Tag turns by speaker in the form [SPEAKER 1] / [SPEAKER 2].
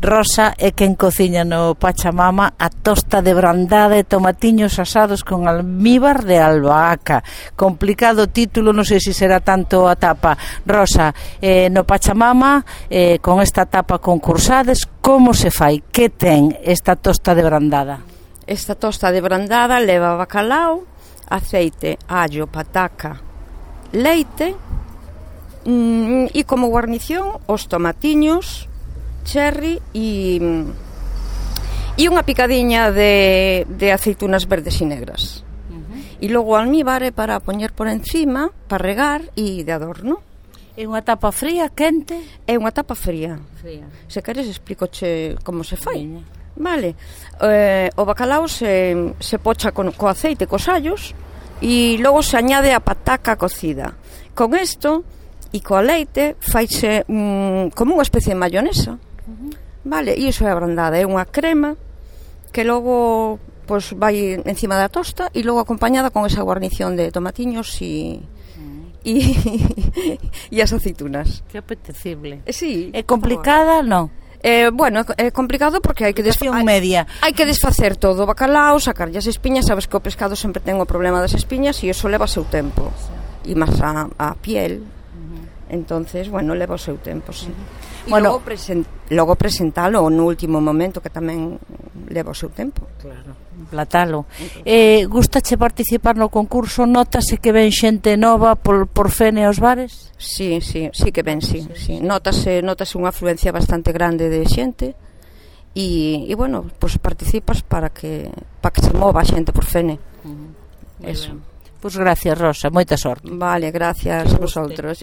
[SPEAKER 1] Rosa é quen cociña no Pachamama a tosta de brandada e tomatiños asados con almíbar de albahaca. Complicado título, non sei se será tanto a tapa. Rosa, no Pachamama, con esta tapa concursades, como se fai? Que ten esta tosta de brandada?
[SPEAKER 2] Esta tosta de brandada leva bacalao, aceite, allo, pataca, leite e como guarnición os tomatiños, cherry e unha picadiña de aceitunas verdes e negras. E logo almíbar para poñer por encima, para regar e de adorno.
[SPEAKER 1] É unha tapa fría, quente?
[SPEAKER 2] É unha tapa fría. Se queres explícoche como se fai. Vale, o bacalao se pocha co aceite, cos allos, e logo se añade a pataca cocida. Con isto e coa leite faise como unha especie de mayonesa. Vale, e iso é a brandada, é unha crema que logo pois vai encima da tosta e logo acompañada con esa guarnición de tomatiños e as aceitunas.
[SPEAKER 1] Que apetecible.
[SPEAKER 2] Sí.
[SPEAKER 1] É complicada, non?
[SPEAKER 2] Bueno, é complicado porque hai que desfacer todo o bacalao, sacarlle as espiñas. Sabes que o pescado sempre ten o problema das espiñas e iso leva o seu tempo. E máis a piel. Entonces, bueno, leva o seu tempo, sí. E logo presentalo no último momento, que tamén leva o seu tempo.
[SPEAKER 1] Claro, platalo. Gustache participar no concurso? Notase que ven xente nova por Fene aos bares?
[SPEAKER 2] Sí que ven, sí. Notase unha afluencia bastante grande de xente e bueno, pues participas para que se mova a xente por Fene. Eso.
[SPEAKER 1] Pois gracias, Rosa, moita sorte.
[SPEAKER 2] Vale, gracias a vosotros.